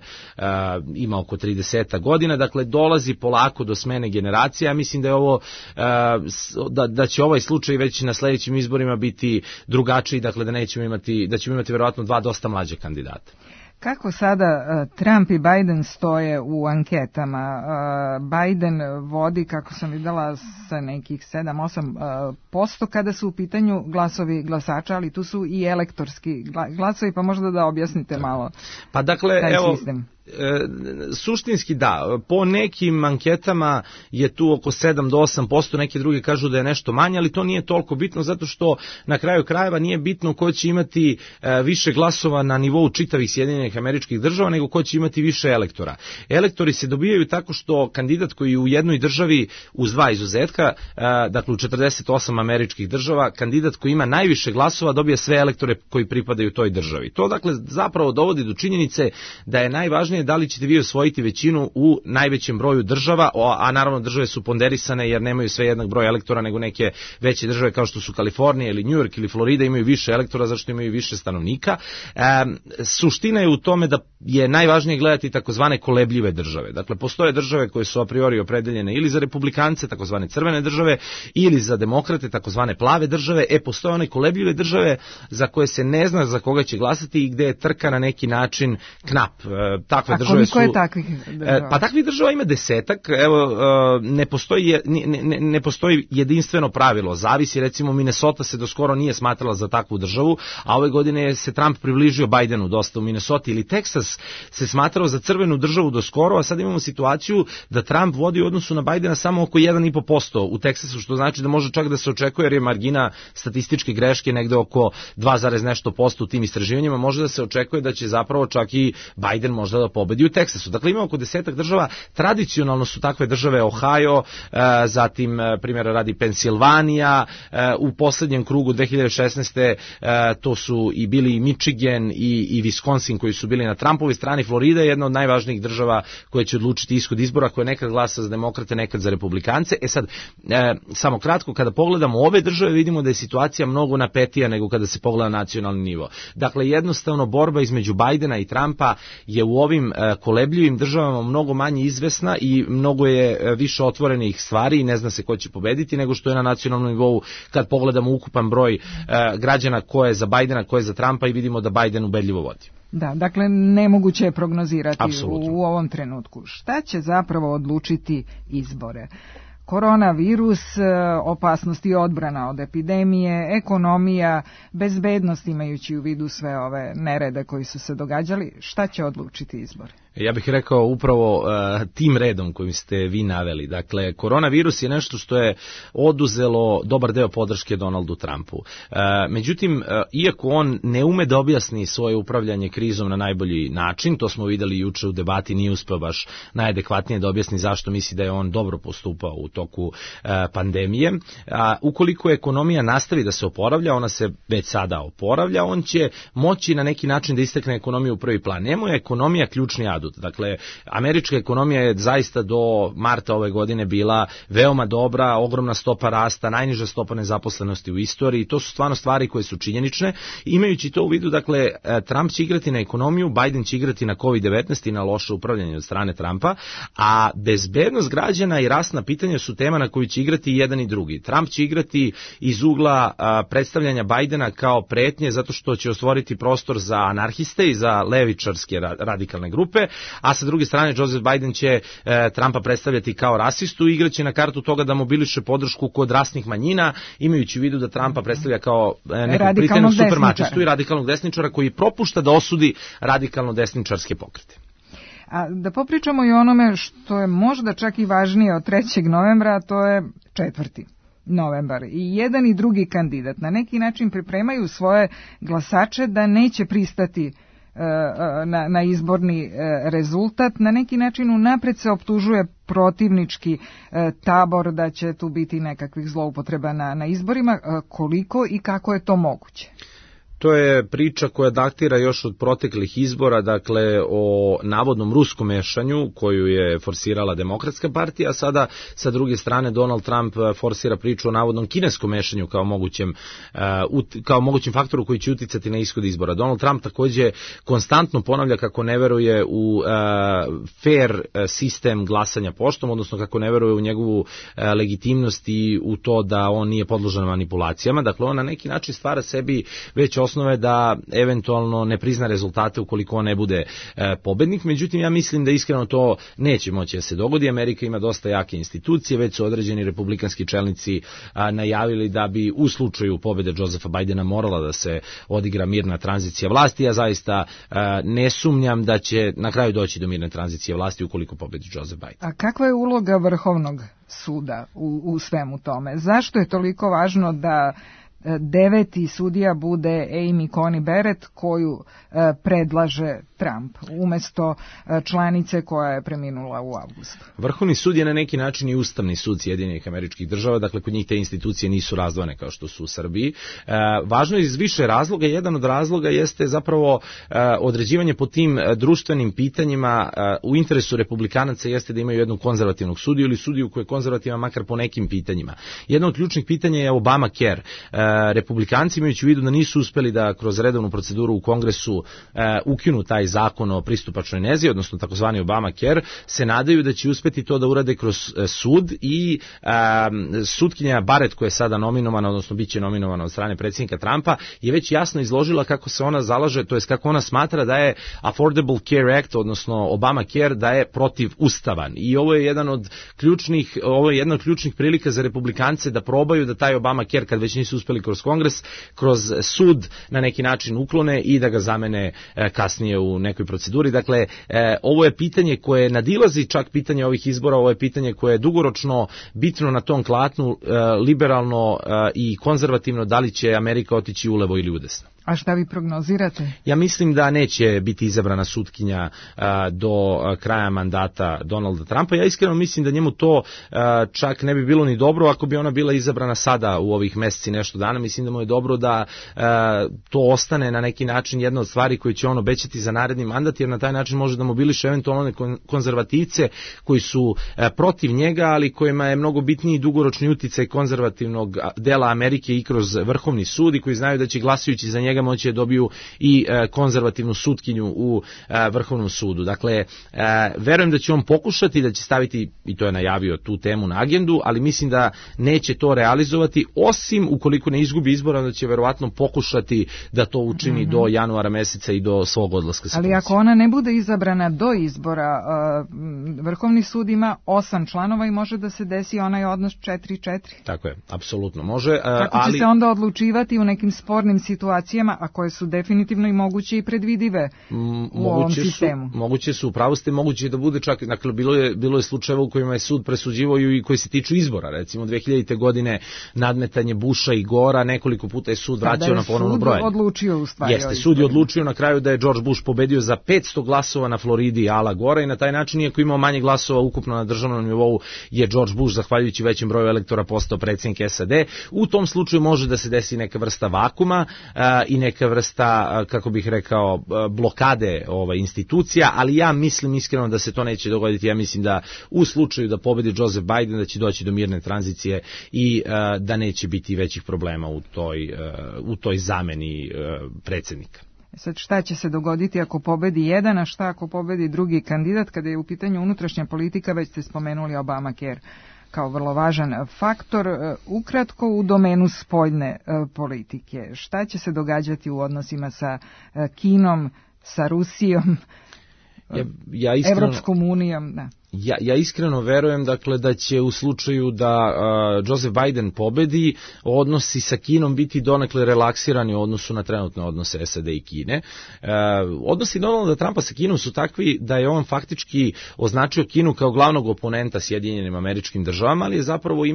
ima oko 30 godina. Dakle, dolazi polako do smene generacija. Mislim da je ovo, da će ovaj slučaj već na sledećim izborima biti drugačiji, dakle da ćemo imati verovatno dva dosta mlađe kandidata. Kako sada Trump i Biden stoje u anketama? Biden vodi, kako sam videla, sa nekih 7-8% kada su u pitanju glasovi glasača, ali tu su i elektorski glasovi, pa možda da objasnite malo. Pa dakle, evo, suštinski da, po nekim anketama je tu oko 7 do 8%, neki drugi kažu da je nešto manje, ali to nije toliko bitno zato što na kraju krajeva nije bitno ko će imati više glasova na nivou čitavih Sjedinjenih Američkih Država, nego ko će imati više elektora. Elektori se dobijaju tako što kandidat koji u jednoj državi, uz dva izuzetka, dakle u 48 američkih država, kandidat koji ima najviše glasova dobija sve elektore koji pripadaju toj državi. To dakle zapravo dovodi do činjenice da je najvažnije da li ćete vi osvojiti većinu u najvećem broju država, a naravno države su ponderisane jer nemaju sve jednak broj elektora, nego neke veće države kao što su Kalifornija ili New York ili Florida imaju više elektora zašto imaju više stanovnika. Suština je u tome da je najvažnije gledati takozvane kolebljive države. Dakle, postoje države koje su a priori opredeljene ili za republikance, takozvane crvene države, ili za demokrate, takozvane plave države. Postoje one kolebljive države za koje se ne zna za koga će glasati i gde je trka na neki način knap. Takve države su... je takvih država? Pa takvih država ima 10. Evo, ne postoji jedinstveno pravilo. Zavisi, recimo, Minnesota se do skoro nije smatrala za takvu državu, a ove godine se Trump približio Bidenu dosta u Minnesota, ili Texas Texas se smatrao za crvenu državu do skoro, a sad imamo situaciju da Trump vodi u odnosu na Bidena samo oko 1,5% u Teksasu, što znači da može čak da se očekuje, jer je margina statističke greške negde oko 2, nešto posto u tim istraživanjima, može da se očekuje da će zapravo čak i Biden možda da pobedi u Teksasu. Dakle, ima oko 10 država, tradicionalno su takve države Ohio, zatim primjera radi Pensilvanija, u poslednjem krugu 2016. To su i bili i Michigan i Wisconsin koji su bili na Trumpovoj strani. Florida je jedna od najvažnijih država koja će odlučiti ishod izbora, koja nekad glasa za demokrate, nekad za republikance. Sad, samo kratko, kada pogledamo ove države, vidimo da je situacija mnogo napetija nego kada se pogleda nacionalni nivo. Dakle, jednostavno borba između Bidena i Trumpa je u ovim kolebljivim državama mnogo manje izvesna i mnogo je više otvorenih stvari i ne zna se ko će pobediti nego što je na nacionalnom nivou kad pogledamo ukupan broj građana ko je za Bidena, ko je za Trumpa i vidimo da Biden ubedljivo vodi. Da, dakle, nemoguće je prognozirati Apsolutno. u ovom trenutku. Šta će zapravo odlučiti izbore? Koronavirus, opasnost i odbrana od epidemije, ekonomija, bezbednost imajući u vidu sve ove nerede koji su se događali, šta će odlučiti izbore? Ja bih rekao upravo tim redom kojim ste vi naveli. Dakle, koronavirus je nešto što je oduzelo dobar deo podrške Donaldu Trumpu. Međutim, iako on ne ume da objasni svoje upravljanje krizom na najbolji način, to smo videli juče u debati, nije uspeo baš najadekvatnije da objasni zašto misli da je on dobro postupao u toku pandemije. Ukoliko ekonomija nastavi da se oporavlja, ona se već sada oporavlja, on će moći na neki način da istakne ekonomiju u prvi plan. Njemu je ekonomija ključni adut. Dakle, američka ekonomija je zaista do marta ove godine bila veoma dobra, ogromna stopa rasta, najniža stopa nezaposlenosti u istoriji. To su stvarno stvari koje su činjenične. Imajući to u vidu, dakle, Trump će igrati na ekonomiju, Biden će igrati na COVID-19 i na loše upravljanje od strane Trumpa, a bezbednost građana i rasna pitanja su tema na koju će igrati jedan i drugi. Trump će igrati iz ugla predstavljanja Bidena kao pretnje zato što će ostvoriti prostor za anarhiste i za levičarske radikalne grupe, a sa druge strane Joseph Biden će Trumpa predstavljati kao rasistu i igraće na kartu toga da mobiliše podršku kod rasnih manjina, imajući u vidu da Trumpa predstavlja kao nekog pritenog supermačistu i radikalnog desničara koji propušta da osudi radikalno desničarske pokrete. A da popričamo i onome što je možda čak i važnije od 3. novembra, a to je 4. novembar. I jedan i drugi kandidat na neki način pripremaju svoje glasače da neće pristati na izborni rezultat. Na neki način unapred se optužuje protivnički tabor da će tu biti nekakvih zloupotreba na izborima. Koliko i kako je to moguće? To je priča koja datira još od proteklih izbora, dakle o navodnom ruskom mešanju koju je forsirala Demokratska partija, a sada sa druge strane Donald Trump forsira priču o navodnom kineskom mešanju kao mogućem faktoru koji će uticati na ishod izbora. Donald Trump takođe konstantno ponavlja kako ne veruje u fair sistem glasanja poštom, odnosno kako ne veruje u njegovu legitimnost i u to da on nije podložan manipulacijama. Dakle, on na neki način stvara sebi već osnove da eventualno ne prizna rezultate ukoliko on ne bude pobednik. Međutim, ja mislim da iskreno to neće moći da se dogodi. Amerika ima dosta jake institucije, već su određeni republikanski čelnici najavili da bi u slučaju pobede Josepha Bidena morala da se odigra mirna tranzicija vlasti. Ja zaista ne sumnjam da će na kraju doći do mirne tranzicije vlasti ukoliko pobedi Joseph Biden. A kakva je uloga Vrhovnog suda u svemu tome? Zašto je toliko važno da 9. sudija bude Amy Coney Barrett koju predlaže Trump umesto članice koja je preminula u avgustu? Vrhovni sud je na neki način i Ustavni sud Sjedinjenih Američkih Država, dakle kod njih te institucije nisu razdvojene kao što su u Srbiji. Važno je iz više razloga, jedan od razloga jeste zapravo određivanje po tim društvenim pitanjima u interesu republikanaca jeste da imaju jednu konzervativnog sudiju ili sudiju koja je konzervativna makar po nekim pitanjima. Jedno od ključnih pitanja je Obamacare. Republikanci imajući u vidu da nisu uspeli da kroz redovnu proceduru u Kongresu ukinu taj zakon o pristupačnoj nezi, odnosno takozvani Obamacare, se nadaju da će uspeti to da urade kroz sud i sutkinja Barrett koja je sada nominovana, odnosno bit će nominovana od strane predsjednika Trumpa, je već jasno izložila kako se ona zalaže, to jest kako ona smatra da je Affordable Care Act, odnosno Obamacare, da je protivustavan. I ovo je jedna od ključnih prilika za republikance da probaju da taj Obamacare, kad već nisu uspeli kroz Kongres, kroz sud na neki način uklone i da ga zamene kasnije u nekoj proceduri. Dakle, ovo je pitanje koje nadilazi čak pitanje ovih izbora, ovo je pitanje koje je dugoročno bitno na tom klatnu, liberalno i konzervativno, da li će Amerika otići ulevo ili udesno. A šta vi prognozirate? Ja mislim da neće biti izabrana sutkinja do kraja mandata Donalda Trumpa. Ja iskreno mislim da njemu to čak ne bi bilo ni dobro ako bi ona bila izabrana sada u ovih meseci nešto dana. Mislim da mu je dobro da to ostane na neki način jedna od stvari koje će on obećati za naredni mandat, jer na taj način može da mobiliše eventualno konzervativce koji su protiv njega, ali kojima je mnogo bitniji dugoročni uticaj konzervativnog dela Amerike i kroz Vrhovni sud i koji znaju da će glasajući za njega moći da dobiju i konzervativnu sutkinju u Vrhovnom sudu. Dakle, verujem da će on pokušati da će staviti, i to je najavio, tu temu na agendu, ali mislim da neće to realizovati, osim ukoliko ne izgubi izbora, da će verovatno pokušati da to učini do januara meseca i do svog odlaska sa funkcije. Ali ako ona ne bude izabrana do izbora, Vrhovni sud ima 8 članova i može da se desi onaj odnos 4-4. Tako je, apsolutno može. Kako će se onda odlučivati u nekim spornim situacijama, a koje su definitivno i moguće i predvidive u ovom sistemu? Moguće su, upravo ste, moguće da bude čak, dakle, bilo je slučajeva u kojima je sud presuđivao i koji se tiču izbora, recimo 2000. godine nadmetanje Busha i Gora, nekoliko puta je sud vraćao na ponovno brojanje. Odlučio u stvari. Jeste, sud je odlučio na kraju da je George Bush pobedio za 500 glasova na Floridi Ala Gora i na taj način, iako imao manje glasova ukupno na državnom nivou, je George Bush, zahvaljujući većem broju elektora, postao predsjednik SAD. U tom slučaju može da se desi neka vrsta vakuma i neka vrsta, kako bih rekao, blokade institucija, ali ja mislim iskreno da se to neće dogoditi. Ja mislim da u slučaju da pobedi Joseph Biden da će doći do mirne tranzicije i da neće biti većih problema u toj zameni predsjednika. Sad, šta će se dogoditi ako pobedi jedan, a šta ako pobedi drugi kandidat? Kada je u pitanju unutrašnja politika, već ste spomenuli Obamacare kao vrlo važan faktor. Ukratko, u domenu spoljne politike, šta će se događati u odnosima sa Kinom, sa Rusijom, Evropskom unijom? Da. Ja iskreno verujem, dakle, da će u slučaju da Joseph Biden pobedi, odnosi sa Kinom biti donekle relaksirani u odnosu na trenutne odnose SAD i Kine. Odnosi Donalda Trumpa sa Kinom su takvi da je on faktički označio Kinu kao glavnog oponenta Sjedinjenim Američkim Državama, ali je zapravo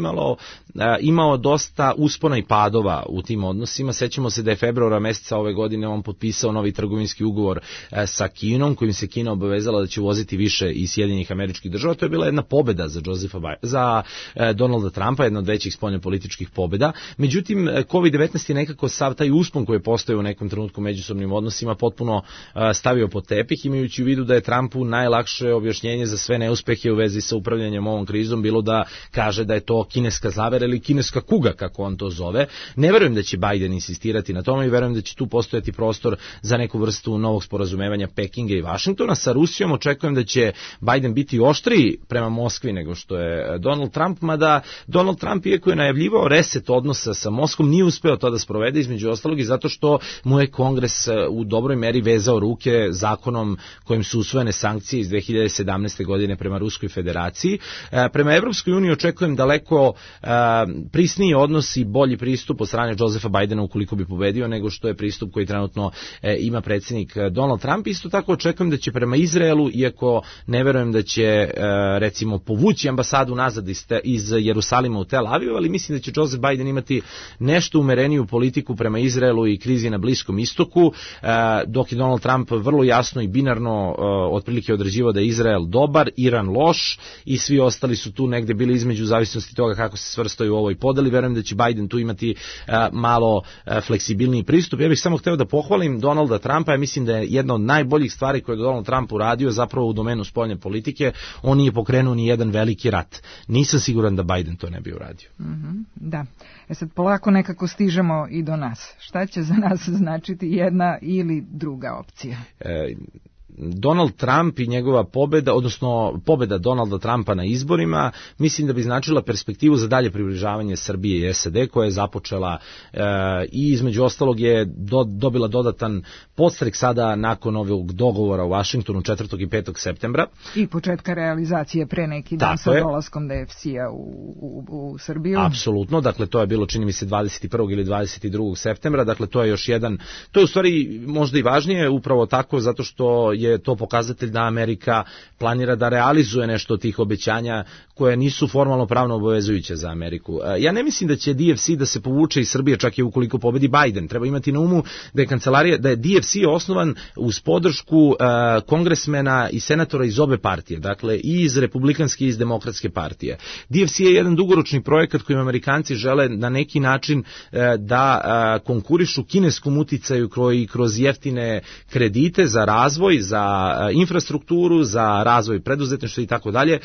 imao dosta uspona i padova u tim odnosima. Sećamo se da je februara meseca ove godine on potpisao novi trgovinski ugovor sa Kinom, kojim se Kina obavezala da će uvoziti više iz Sjedinjenih Američkih Država. To je bila jedna pobeda za Donalda Trumpa, jedna od većih spoljnopolitičkih pobeda. Međutim, COVID-19 je nekako sav taj uspon koji je postojao u nekom trenutku međusobnim odnosima potpuno stavio pod tepih, imajući u vidu da je Trumpu najlakše objašnjenje za sve neuspehe u vezi sa upravljanjem ovom krizom bilo da kaže da je to kineska zavera ili kineska kuga, kako on to zove. Ne verujem da će Biden insistirati na tome i verujem da će tu postojati prostor za neku vrstu novog sporazumevanja Pekinga i Vašingtona. Sa Rusijom očekujem da će Biden biti oštriji prema Moskvi nego što je Donald Trump, mada Donald Trump, iako je najavljivao reset odnosa sa Moskvom, nije uspeo to da sprovede, između ostalog i zato što mu je Kongres u dobroj meri vezao ruke zakonom kojim su usvojene sankcije iz 2017. godine prema Ruskoj federaciji. Prema Evropskoj uniji očekujem daleko prisniji odnos i bolji pristup od strane Josepha Bidena ukoliko bi pobedio nego što je pristup koji trenutno ima predsjednik Donald Trump. Isto tako očekujem da će prema Izraelu, iako ne verujem da će recimo povući ambasadu nazad iz Jerusalima u Tel Aviv, ali mislim da će Joseph Biden imati nešto umereniju politiku prema Izraelu i krizi na Bliskom istoku, dok je Donald Trump vrlo jasno i binarno otprilike određivao da je Izrael dobar, Iran loš i svi ostali su tu negde bili između zavisnosti toga kako se svrstaju u ovoj podeli. Verujem da će Biden tu imati malo fleksibilniji pristup. Ja bih samo hteo da pohvalim Donalda Trumpa, ja mislim da je jedna od najboljih stvari koje je Donald Trump uradio zapravo u domenu spoljne politike. On nije pokrenuo ni jedan veliki rat. Nisam siguran da Biden to ne bi uradio. Da. Sad polako nekako stižemo i do nas. Šta će za nas značiti jedna ili druga opcija? Donald Trump i njegova pobeda, odnosno pobeda Donalda Trumpa na izborima, mislim da bi značila perspektivu za dalje približavanje Srbije i SAD, koja je započela i između ostalog je dobila dodatan podstrek sada nakon ovog dogovora u Vašingtonu 4. i 5. septembra. I početka realizacije pre neki dan sa dolaskom DFC-a u Srbiju. Apsolutno, dakle to je bilo čini mi se 21. ili 22. septembra, dakle to je još jedan, to je u stvari možda i važnije upravo tako zato što je to pokazatelj da Amerika planira da realizuje nešto od tih obećanja koje nisu formalno pravno obavezujuće za Ameriku. Ja ne mislim da će DFC da se povuče iz Srbije čak i ukoliko pobedi Biden. Treba imati na umu da je DFC osnovan uz podršku kongresmena i senatora iz obe partije, dakle i iz republikanske i iz demokratske partije. DFC je jedan dugoročni projekat kojim Amerikanci žele na neki način da konkurišu kineskom uticaju koji kroz jeftine kredite za razvoj, za infrastrukturu, za razvoj preduzetništva i tako dalje,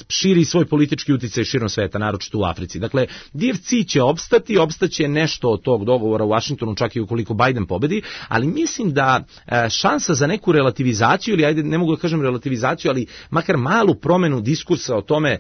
širi svoj politički uticaj širom sveta, naročito u Africi. Dakle, DFC će opstaće nešto od tog dogovora u Vašingtonu, čak i ukoliko Biden pobedi, ali mislim da šansa za neku relativizaciju, ili ajde, ne mogu da kažem relativizaciju, ali makar malu promenu diskursa o tome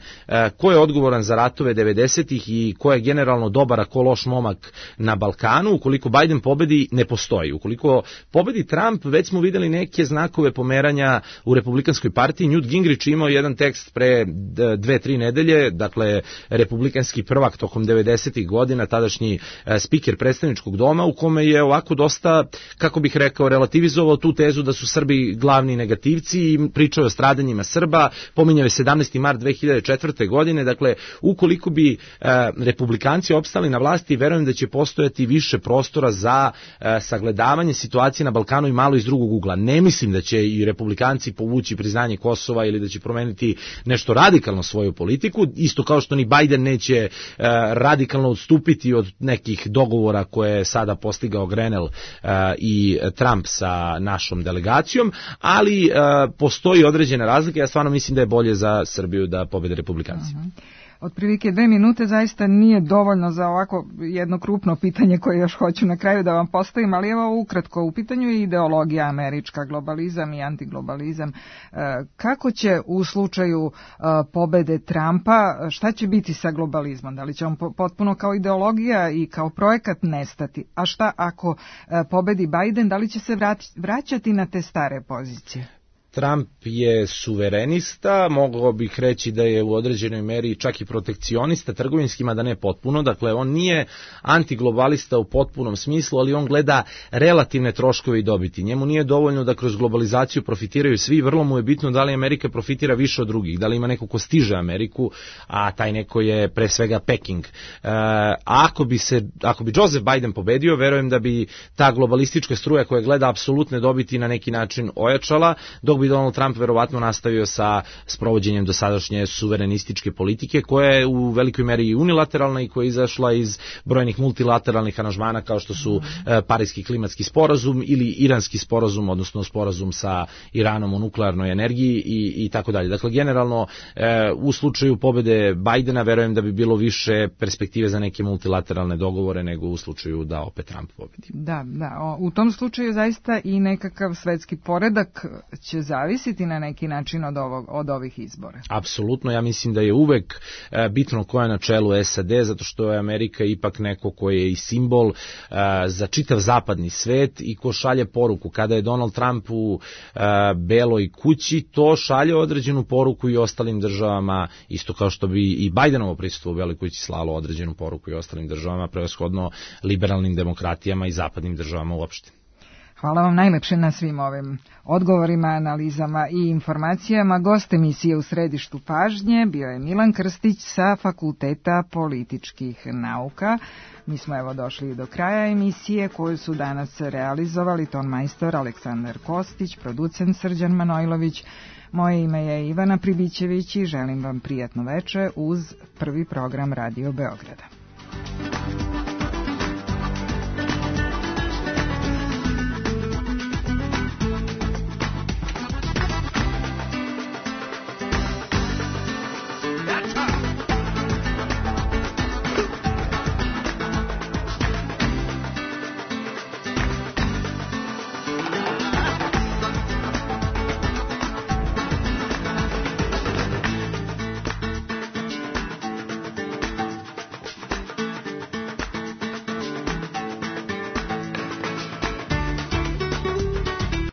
ko je odgovoran za ratove 90-ih i ko je generalno dobar, a ko loš momak na Balkanu, ukoliko Biden pobedi, ne postoji. Ukoliko pobedi Trump, već smo videli neke znakove pomeranja u republikanskoj partiji. Newt Gingrich imao jedan tekst pre 2-3 nedelje, dakle republikanski prvak tokom 90-ih godina, tadašnji spiker predstavničkog doma, u kome je ovako dosta, kako bih rekao, relativizovao tu tezu da su Srbi glavni negativci i pričao o stradanjima Srba, pominjao je 17. mart 2004. godine, dakle ukoliko bi republikanci opstali na vlasti, verujem da će postojati više prostora za sagledavanje situacije na Balkanu i malo iz drugog ugla. Ne mislim da će i republikanci povući priznanje Kosova ili da će promeniti nešto radikalno svoju politiku, isto kao što ni Biden neće radikalno odstupiti od nekih dogovora koje je sada postigao Grenell i Trump sa našom delegacijom, ali postoji određene razlike. Ja stvarno mislim da je bolje za Srbiju da pobede republikanci. Otprilike 2 minute zaista nije dovoljno za ovako jedno krupno pitanje koje još hoću na kraju da vam postavim, ali evo ukratko, u pitanju je ideologija američka, globalizam i antiglobalizam. Kako će u slučaju pobede Trumpa, šta će biti sa globalizmom? Da li će on potpuno kao ideologija i kao projekat nestati? A šta ako pobedi Biden, da li će se vraćati na te stare pozicije? Trump je suverenista, mogao bih reći da je u određenoj meri čak i protekcionista trgovinskima, da ne potpuno, dakle on nije antiglobalista u potpunom smislu, ali on gleda relativne troškove i dobiti. Njemu nije dovoljno da kroz globalizaciju profitiraju svi, vrlo mu je bitno da li Amerika profitira više od drugih, da li ima neko ko stiže Ameriku, a taj neko je pre svega Peking. Ako bi Joseph Biden pobedio, verujem da bi ta globalistička struja koja gleda apsolutne dobiti na neki način ojačala, dok bi Donald Trump verovatno nastavio sa sprovođenjem dosadašnje suverenističke politike, koja je u velikoj meri i unilateralna i koja je izašla iz brojnih multilateralnih aranžmana kao što su Pariski klimatski sporazum ili Iranski sporazum, odnosno sporazum sa Iranom o nuklearnoj energiji i tako dalje. Dakle, generalno u slučaju pobede Bidena verujem da bi bilo više perspektive za neke multilateralne dogovore nego u slučaju da opet Trump pobedi. Da, u tom slučaju zaista i nekakav svetski poredak će zavisiti na neki način od ovih izbora. Apsolutno, ja mislim da je uvek bitno ko je na čelu SAD, zato što je Amerika ipak neko koji je i simbol za čitav zapadni svet i ko šalje poruku. Kada je Donald Trump u Beloj kući, to šalje određenu poruku i ostalim državama, isto kao što bi i Bidenovo prisustvo u Beloj kući slalo određenu poruku i ostalim državama, prevashodno liberalnim demokratijama i zapadnim državama uopšte. Hvala vam najlepše na svim ovim odgovorima, analizama i informacijama. Gost emisije U središtu pažnje bio je Milan Krstić sa Fakulteta političkih nauka. Mi smo evo došli do kraja emisije koju su danas realizovali ton majstor Aleksandar Kostić, producent Srđan Manojlović. Moje ime je Ivana Pribićević i želim vam prijatno veče uz prvi program Radio Beograda.